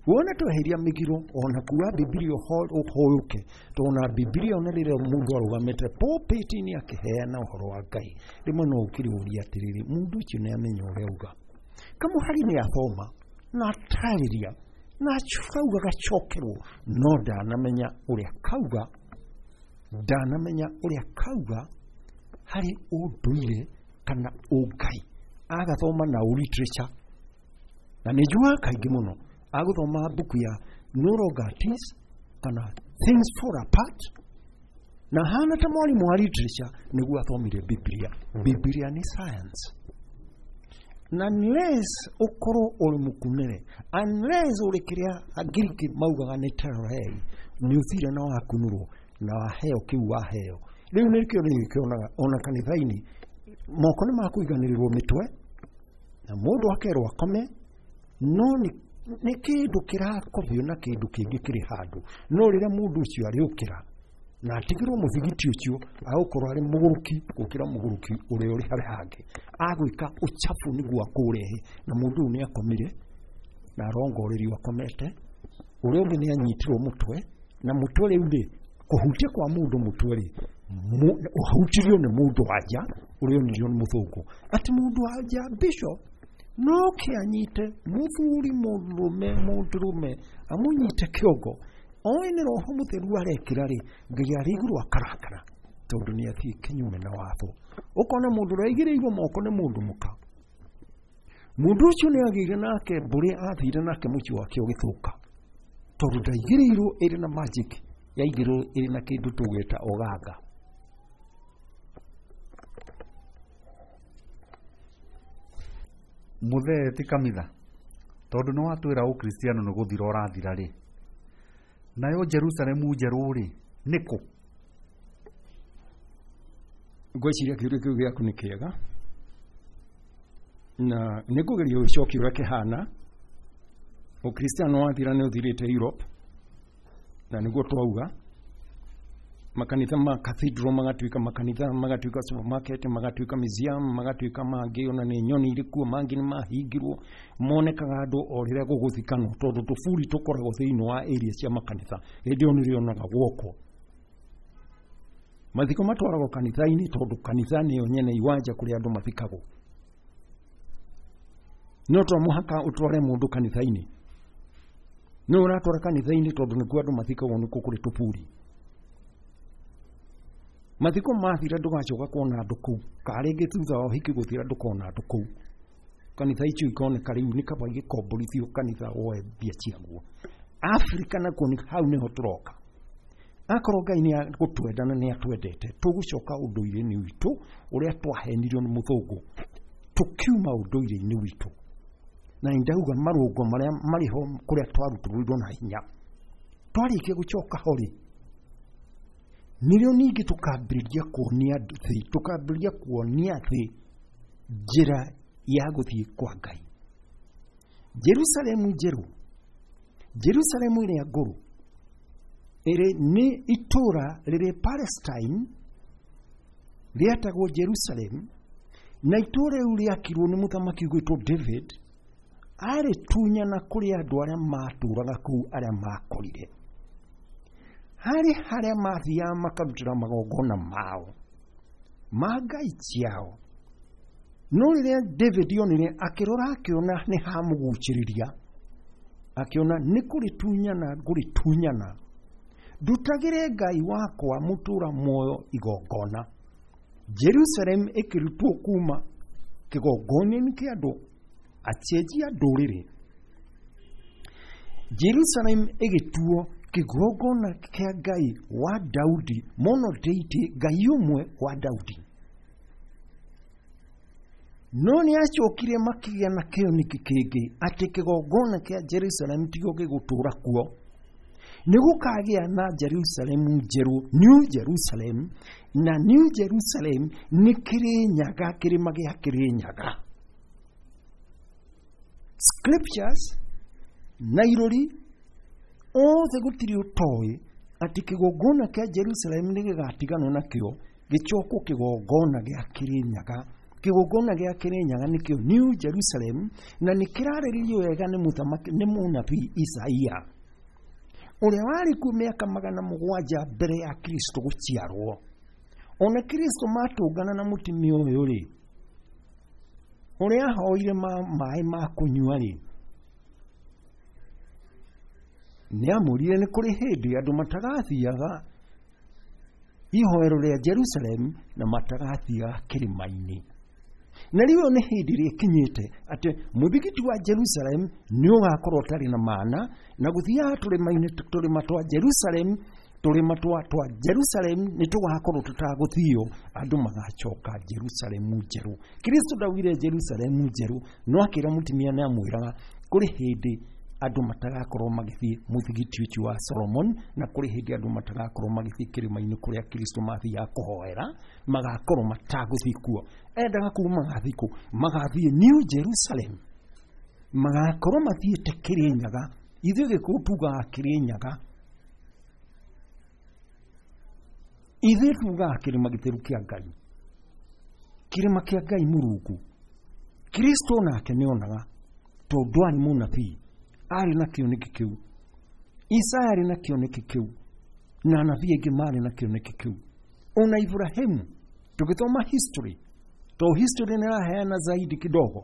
Wona tweheria mĩgiro ona kuga Bibilia ũhũyũke, tondũ Bibilia ona rĩrĩa mũndũ arũgamĩte pulpit-inĩ akĩheana ũhoro wa Ngai, rĩmwe no ũkĩrĩũria atĩrĩrĩ, mũndũ ũcio nĩ amenya ũrĩa auga. Kamũhari nĩ athoma na atarĩria na kauga gacokerwo, no ndanamenya ũrĩa kauga, ndanamenya ũrĩa kauga harĩ ũndũire kana ũngai. Agathoma na literature, na nĩ njugaga kaingĩ mũno agũthoma mbuku ya No Longer at Ease kana Things Fall Apart, na hana ta mwarimũ wa literature nĩguo athomire Biblia. Biblia nĩ science. Na unless ũkorwo ũrĩ mũkunĩre, unless ũrĩ kĩrĩa Angiriki maugaga nĩ terrorei, nĩ ũthire na wakunũrwo na waheo kĩu waheo. Rĩu nĩkĩo nĩkĩonaga ona kanitha-inĩ moko nĩ makũiganĩrĩrwo mĩtwe na mũndũ akerwo akome, no nĩ kĩndũ kĩrakobio na kĩndũ kĩngĩ kĩrĩ handũ. No rĩrĩa mũndũ ũcio arĩũkĩra na atigĩrwo mũthigiti ũcio, agũkorwo arĩ mũgũrũki gũkĩra mũgũrũki ũrĩa ũrĩ harĩa hangĩ, agwĩka ũchafu nĩguo akũrehe. Na mũndũ ũyũ nĩ akomire na arongorerio akomete, ũrĩa ũngĩ nĩ anyitirwo mũtwe, na mũtwe rĩu rĩ, kũhutia kwa mũndũ mũtwe rĩ, ũhutirio nĩ mũndũ wa nja ũrĩa onirio nĩ mũthũngũ. Atĩ mũndũ wa nja bishop no kĩanyite mũthuri mũndũrũme mũndũrũme amũnyite kĩongo, oĩ nĩ roho mũtheru arekĩra rĩ, Ngai arĩ igũrũ akarakara tondũ nĩ athiĩ kinyume na watho. Ũkona mũndũ ũrĩa aigĩrĩirwo moko nĩ mũndũ mũka, Mũndũ ũcio nĩ agĩire nake mbũrĩ athire nake mũciĩ wake ũgĩthũka, tondũ ndaigĩrĩirwo ĩrĩ na magic, yaigĩrĩirwo ĩrĩ na kĩndũ tũgwĩta ũganga. Mũthee ti kamitha, tondũ nĩ watwĩra ũkristiano nĩ gũthira ũrathira rĩ, nayo Jerusalemu njerũ rĩ nĩ kũ? Ngwĩciria kĩũria kĩu gĩaku nĩ kĩega, na nĩ ngũgeria gũcokia ũrĩa kĩhana. Ũkristiano wathira nĩ ũthirĩte Europe, na nĩguo twauga makanitha ma cathedral magatuĩka makanitha, magatuĩka supermarket, magatuĩka museum, magatuĩka mangĩ ona nĩ nyoni irĩ kuo, mangĩ nĩ mahingirwo, monekaga andũ o rĩrĩa gũgũthikanwo, tondũ tũburi tũkoragwo thĩinĩ wa area cia makanitha, hĩndĩ ĩyo nĩrĩonaga gwokwo. Mathiko matwaragwo kanitha-inĩ tondũ kanitha nĩyo nyene iwanja kũrĩa andũ mathikagwo. No to mũhaka ũtware mũndũ kanitha-inĩ, no ũratwara kanitha-inĩ tondũ nĩkuo andũ mathikagwo, nĩkuo kũrĩ tũburi. Mathiko mathira ndũgacoka kuona andũ kũu, ka rĩngĩ thutha wa ũhiki gũthira ndũkona andũ kũu. Kanitha icio ikoneka rĩu nĩ kaba igĩkomborithio kanitha woe mbia ciaguo. Afrika nakuo nĩ hau nĩho tũroka. Akorwo Ngai nĩ agũtwenda na nĩ atwendete, tũgũcoka ũndũire-inĩ witũ ũrĩa twahenirio nĩ mũthũngũ, tũkiuma ũndũire-inĩ witũ. Na nĩ ndauga marũngo marĩa marĩ ho kũrĩa twarutũrũrirwo na hinya. Twarĩkia gũcoka ho rĩ, nĩrĩo ningĩ tũkambĩrĩria kuonia thĩ, tũkambĩrĩria kuonia thĩ njĩra ya gũthiĩ kwa Ngai. Jerusalemu njerũ, Jerusalemu ĩrĩa ngũrũ, ĩrĩ nĩ itũũra rĩrĩ Palestine rĩetagwo Jerusalem, na itũũra rĩu rĩakirwo nĩ mũthamaki ũgwĩtwo David, arĩtunyana kũrĩ andũ arĩa matũũraga kũu arĩa makorire. Harĩ harĩa mathiaga makarutĩra magongona mao ma ngai ciao. No rĩrĩa David onire, akĩrora akĩona nĩ hamũgucĩrĩria, akĩona nĩ kũrĩtunyana ngũrĩtunyana, ndutagĩre Ngai wakwa mũtũũra muoyo igongona. Jerusalem ĩkĩrutwo kuma kĩgongona-inĩ kĩa andũ acenjia ndũrĩrĩ. Jerusalem ĩgĩtuo kĩgongona kĩa Ngai wa Daudi, monodeity, Ngai ũmwe wa Daudi. No nĩ acokire makĩgĩa na kĩoneki kĩngĩ atĩ kĩgongona kĩa Jerusalem tigo gĩgũtũũra kuo, nĩ gũkagĩa na Jerusalem njerũ, New Jerusalem, na New Jerusalem nĩ Kĩrĩnyaga, kĩrĩma gĩa Kĩrĩnyaga. Scriptures na irori othe gũtirĩ ũtoĩ atĩ kĩgongona kĩa Jerusalem nĩ gĩgatiganwo nakĩo gĩcokwo kĩgongona gĩa Kĩrĩnyaga. Kĩgongona gĩa Kĩrĩnyaga nĩkĩo New Jerusalem, na nĩ kĩrarĩrĩrio wega nĩ mũthamaki, nĩ mũnabii Isaia ũrĩa warĩ kuo mĩaka magana mũgwanja mbere ya Kristo gũciarwo. Ona Kristo matũngana na mũtumia ũyũ rĩ, ũrĩa ahoire maĩ ma kũnyua rĩ, nĩ amũrire nĩ kũrĩ hĩndĩ andũ matagathiaga ihoero rĩa Jerusalem na matagathiaga kĩrĩma-inĩ. Na rĩu ĩyo nĩ hĩndĩ ĩrĩa ĩkinyĩte atĩ mũthigiti wa Jerusalem nĩ ũgakorwo ũtarĩ na maana, na gũthiaga tũrĩma-inĩ tũrĩma twa Jerusalem, tũrĩma twa twa Jerusalem nĩ tũgakorwo tũtagũthio, andũ magacoka Jerusalemu njerũ. Kristo ndaugire Jerusalemu njerũ, no akĩra mũtumia nĩ amwĩraga kũrĩ hĩndĩ andũ matagakorwo magĩthiĩ mũthigiti ũcio wa Solomon, na kũrĩ hĩndĩ andũ matagakorwo magĩthiĩ kĩrĩma-inĩ kũrĩa Kristo mathiaga kũhoera, magakorwo matagũthiĩ kuo. Endaga kuga magathiĩ kũ? Magathiĩ New Jerusalem, magakorwo mathiĩte Kĩrĩnyaga. Ithuĩ Gĩkũyũ tugaga Kĩrĩnyaga, ithuĩ tugaga kĩrĩma gĩtheru kĩa Ngai, kĩrĩma kĩa Ngai Mũrungu. Kristo nake nĩonaga, tondũ arĩ mũnabii, arĩ na kĩoneki kĩu. Isaya arĩ na kĩoneki kĩu, na anabii aingĩ marĩ na kĩoneki kĩu. Ona Ibrahimu tũgĩthoma history, to history nĩ ĩraheana zaidi kidogo,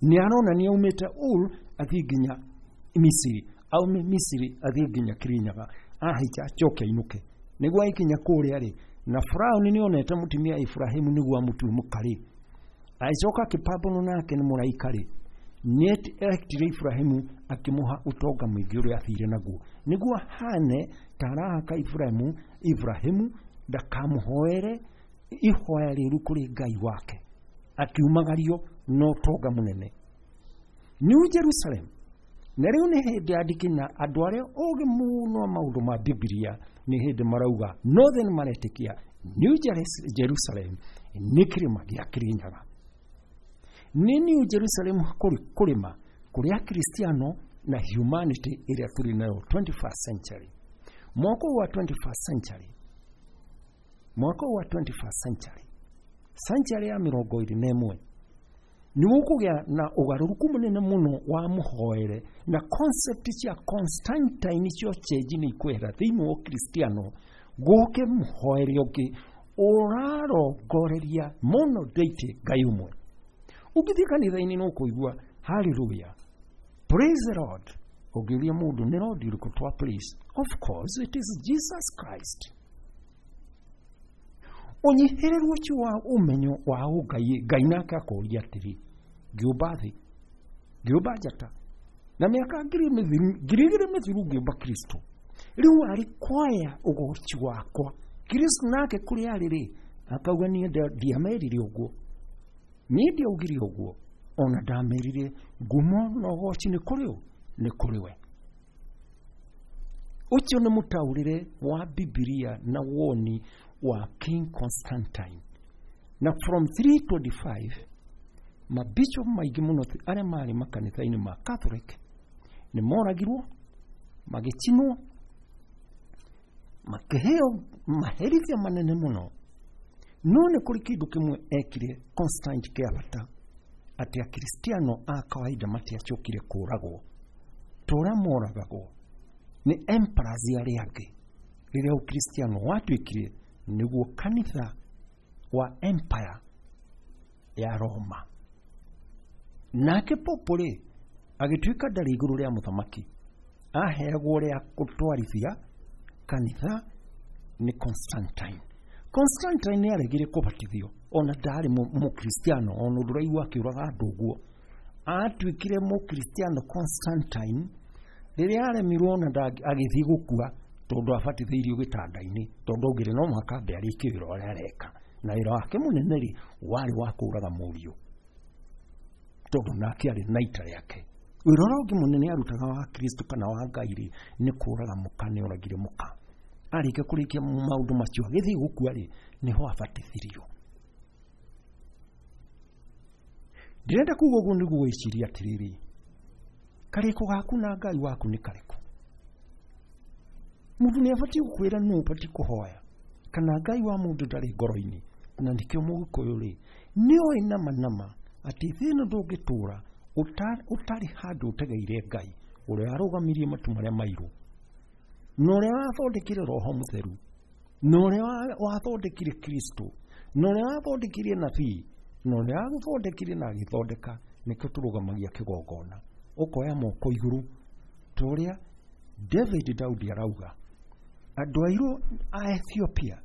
nĩ aronania aumĩte Ur athiĩ nginya Misiri, aume Misiri athiĩ nginya Kĩrĩnyaga, ahaica acoke ainũke. Nĩguo aikinya kũrĩa rĩ, na Firaũni nĩonete mũtumia Ibrahimu nĩguo amũtue mũka rĩ, agĩcoka akĩpambanwo nake nĩ mũraika rĩ, Nĩ eretire Ibrahimu akĩmũha ũtonga mũingĩ ũrĩa athire naguo nĩguo ahane ta arahaka Ibrahimu Ibrahimu ndakamũhoere ihoya rĩũru kũrĩ Ngai wake, akiumagario na ũtonga mũnene. New Jerusalem na rĩu nĩ hĩndĩ andĩki na andũ arĩa ogĩ mũno maũndũ ma Bibilia nĩ hĩndĩ marauga nothe nĩ maretĩkia New Jerusalem nĩ kĩrĩma gĩa Kĩrĩnyaga. Nĩ New Jerusalem kũrĩma kũrĩa Kristiano na humanity ĩrĩa tũrĩ nayo twenty-first century. Mwaka wa twenty-first century, mwaka wa twenty-first century, century ya mĩrongo ĩrĩ na ĩmwe nĩ gũkũgĩa na ũgarũrũku mũnene mũno wa mũhoere na concept cia Constantine cio chenji nĩ ikwehera thĩinĩ wa Ũkristiano gũke mũhoere ũngĩ ũrarongoreria mono deity Ngai ũmwe. Ũngĩthiĩ kanitha-inĩ no kũigua hallelujah, praise the Lord. Ũngĩũria mũndũ nĩ Lord ũrĩkũ twa praise? Of course it is Jesus Christ. Ũnyihĩrĩru ũcio wa ũmenyo wa ũngai, Ngai nake akũria atĩrĩ, ngĩũmba thĩ, ngĩũmba njata na mĩaka ngiri igĩrĩ mĩthiru ngĩũmba Kristo, rĩu arĩ kwaya ũgoci wakwa. Kristo nake kũrĩa arĩ rĩ akauga niĩ ndiamerire ũguo, niĩ ndiaugire ũguo, ona ndamerire ngumo na ũgoci nĩ kũrĩ ũ, nĩ kũrĩ we. Ũcio nĩ mũtaũrĩre wa Bibilia na woni wa King Constantine. Na from three twenty-five mabishop maingĩ mũno arĩa marĩ makanitha-inĩ ma Catholic nĩ moragirwo, magĩcinwo, makĩheo maherithia manene mũno. No nĩ kũrĩ kĩndũ kĩmwe ekire Constantine kĩa bata, atĩ Akristiano a kawaida matiacokire kũragwo ta ũrĩa moragagwo nĩ emperors arĩa angĩ. Rĩrĩa Ũkristiano watuĩkire nĩguo kanitha wa empire ya Roma, nake popo rĩ agĩtuĩka ndarĩ igũrũ rĩa mũthamaki, aheagwo rĩa gũtwarithia kanitha nĩ Constantine. Constantine nĩ aregire kũbatithio, ona ndarĩ mũkristiano, ona ũndũ ũraigua akĩũraga andũ ũguo. Atuĩkire mũkristiano Constantine rĩrĩa aremirwo ona agĩthiĩ gũkua tondũ abatithĩirio gĩtanda-inĩ, tondũ augire no mũhaka ambe arĩkie wĩra ũrĩa areka, na wĩra wake mũnene rĩ warĩ wa kũũraga mũriũ, tondũ nake arĩ na ita rĩake. Wĩra ũrĩa ũngĩ mũnene arutaga wa Kristo kana wa Ngai rĩ nĩ kũũraga mũka, nĩ oragire mũka. Arĩkia kũrĩkia maũndũ macio agĩthiĩ gũkua rĩ nĩho abatithirio. Ndĩrenda kuga ũguo nĩguo wĩcirie atĩrĩrĩ, karĩko gaku na Ngai waku nĩ karĩkũ? Mũndũ nĩ abatiĩ gũkwĩra nũ ũbatiĩ kũhoya, kana Ngai wa mũndũ ndarĩ ngoro-inĩ. Na nĩkĩo Mũgĩkũyũ rĩ nĩoĩ nama nama atĩ thĩ ĩno ndũngĩtũra ũtarĩ handũ ũtegeire Ngai ũrĩa arũgamirie matu marĩa mairũ, na ũrĩa wathondekire Roho Mũtheru, na ũrĩa wathondekire Kristo, na ũrĩa wathondekire nabii, na ũrĩa wagũthondekire na agĩthondeka. Nĩkĩo tũrũgamagia kĩgongona, ũkoya moko igũrũ ta ũrĩa David Daudi arauga andũ airũ a Ethiopia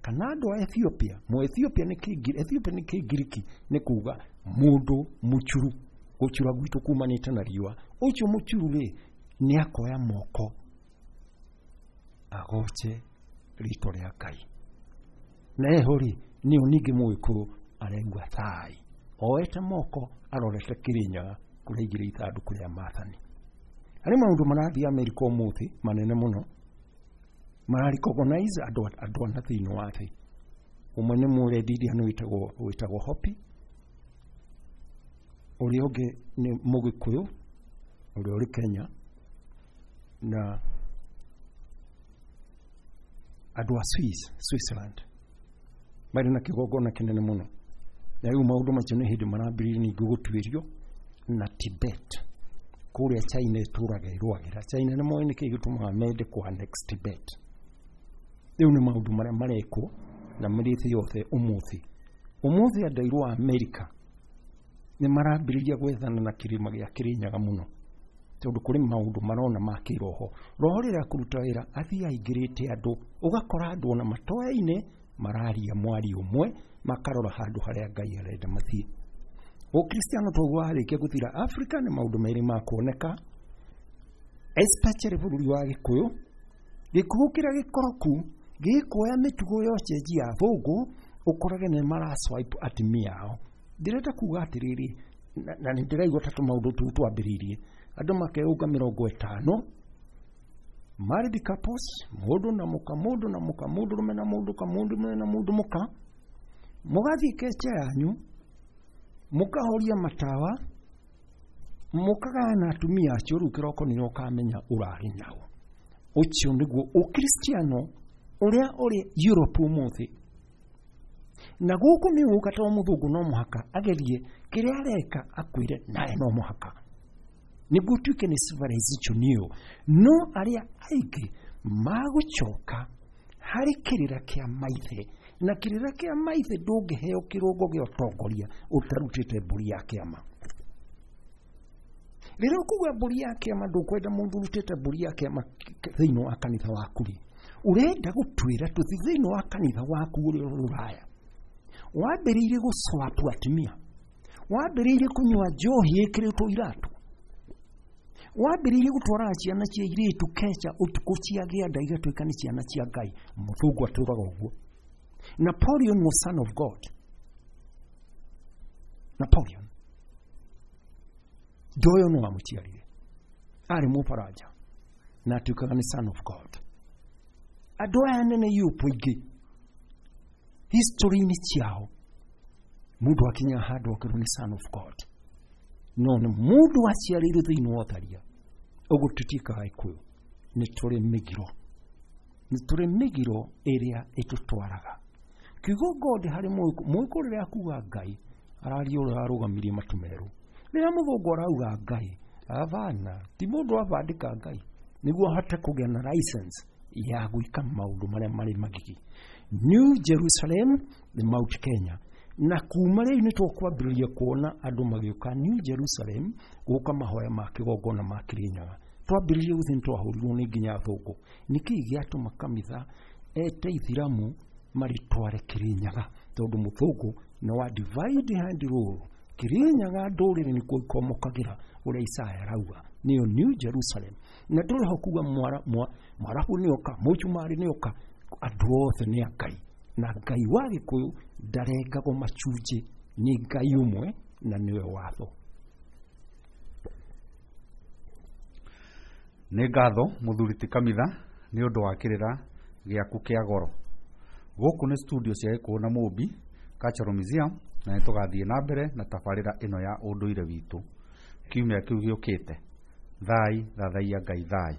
kana andũ a Ethiopia, mũ Ethiopia nĩ kĩngiriki, Ethiopia nĩ kĩngiriki nĩ kuga mũndũ mũchuru, gũchura gwitũ kumanĩte na riũa. Ũcio mũchuru rĩ nĩ akoya moko agoce rĩtwa rĩa Ngai. Na eho rĩ nĩo ningĩ Mũgĩkũyũ aregua thai, oete moko arorete Kĩrĩnyaga kũrĩa aigire ithandũkũ rĩa maathani. Harĩ maũndũ marathiĩ Amerika ũmũthĩ manene mũno, mararecognize andũ andũ ana thĩinĩ wa thĩ. Ũmwe nĩ mũrendiria wĩtagwo wĩtagwo Hopi, ũrĩa ũngĩ nĩ Mũgĩkũyũ ũrĩa ũrĩ Kenya, na andũ a Swiss, Switzerland marĩ na kĩgongona kĩnene mũno. Na rĩu maũndũ macio nĩ hĩndĩ marambĩrĩria ningĩ gũtuĩrio na Tibet kũrĩa China ĩtũraga ĩrũagĩra. China nĩ moĩ nĩkĩĩ gĩtũmaga mende kũ annex Tibet. Rĩu nĩ maũndũ marĩa marekwo na marĩ thĩ yothe ũmũthĩ. Ũmũthĩ andũ airũ a Amerika nĩ marambĩrĩria gwethana na kĩrĩma gĩa Kĩrĩnyaga mũno, tondũ kũrĩ maũndũ marona ma kĩroho. Roho rĩrĩa akũruta wĩra athiĩ aingĩrĩte andũ, ũgakora andũ ona matoyaine mararia mwario ũmwe, makarora handũ harĩa Ngai arenda mathiĩ. Ũkristiano toguo warĩkia gũthira Afrika nĩ maũndũ merĩ ma kuoneka, especially bũrũri wa Gĩkũyũ. Gĩkũyũ kĩrĩa gĩkoroku gĩkuoya mĩtugo ya ũcenji ya athũngũ, ũkorage nĩ mara swipe atumia ao. Ndĩrenda kuga atĩrĩrĩ, na, na nĩ ndĩraigua ta tũmaũndũ tũu twambĩrĩirie andũ makeũnga mĩrongo ĩtano married couples, mũndũ na mũka, mũndũ na mũka, mũndũ rũme na mũndũ ka, mũndũ rũme na mũndũ mũka, mũgathiĩ kecha yanyu, mũkahoria matawa, mũkagayana atumia acio, rĩu kĩroko nĩrĩo ũkamenya ũrarĩ nao. Ũcio nĩguo ũkristiano ũrĩa ũrĩ Europe ũmũthĩ. Na gũkũ nĩ ũka to mũthũngũ no mũhaka agerie kĩrĩa areka akwĩre nawe no mũhaka nĩguo ũtuĩke nĩ civilization ĩyo. No arĩa aingĩ magũcoka harĩ kĩrĩra kĩa maithe, na kĩrĩra kĩa maithe ndũngĩheo kĩrũngo gĩa ũtongoria ũtarutĩte mbũri ya kĩama. Rĩrĩa ũkuga mbũri ya kĩama, ndũkwenda mũndũ ũrutĩte mbũri ya kĩama thĩinĩ wa kanitha waku rĩ, ũrenda gũtwĩra tũthi thĩinĩ wa kanitha waku ũrĩa ũrĩ Rũraya wambĩrĩirie gũcwapu atumia, wambĩrĩirie kũnyua njohi ĩkĩrĩtwo iratũ, wambĩrĩirie gũtwaraga ciana cia airĩtu kecha ũtukũ ciagĩa nda igatuĩka nĩ ciana cia Ngai. Mũthũngũ atũraga ũguo. Napoleon was son of God. Napoleon ndoyo no amũciarire, arĩ mũfaranja na atuĩkaga nĩ son of God. Andũ aya anene Europe aingĩ history-inĩ ciao mũndũ akinya handũ akerwo nĩ son of God, no nĩ mũndũ waciarĩirwo thĩinĩ wa ũtharia. Ũguo tũtiĩkaga Gĩkũyũ, nĩ tũrĩ mĩgiro, nĩ tũrĩ mĩgiro ĩrĩa ĩtũtwaraga. Kiugo God harĩ mũgĩkũyũ rĩrĩa akuga Ngai araria ũrĩa arũgamirie matu merũ. Rĩrĩa mũthũngũ arauga Ngai, abana ti mũndũ abandĩka Ngai nĩguo ahote kũgĩa na license ya gwĩka maũndũ marĩa marĩ magigi. New Jerusalem nĩ Mount Kenya, na kuma rĩu nĩ tũkwambĩrĩria kuona andũ magĩũka New Jerusalem gũka mahoya ma kĩgongona ma Kĩrĩnyaga. Twambĩrĩrie gũthiĩ nĩ twahũrirwo nĩ nginya athũngũ. Nĩkĩĩ gĩatũma kanitha ete ithiramu marĩtware Kĩrĩnyaga? Tondũ mũthũngũ nĩ wa divide and rule. Kĩrĩnyaga ndũrĩrĩ nĩkuo ikomokagĩra ũrĩa Isaya arauga nĩyo New Jerusalem. Na ndũrĩ ho kuga mwarabu nĩoka, mũcumarĩ nĩoka, andũ othe nĩ a Ngai. Na Ngai wa Gĩkũyũ ndarengagwo macunjĩ, nĩ Ngai ũmwe na nĩwe watho. Nĩ ngatho mũthuri ti Kamitha nĩ ũndũ wa kĩrĩra gĩaku kĩa goro. Gũkũ nĩ studio cia Gĩkũyũ na Mũmbi Cultural Museum, na nĩ tũgathiĩ na mbere na tabarĩra ĩno ya ũndũire witũ kiumia kĩu gĩũkĩte. Thai thathaiya Ngai thai.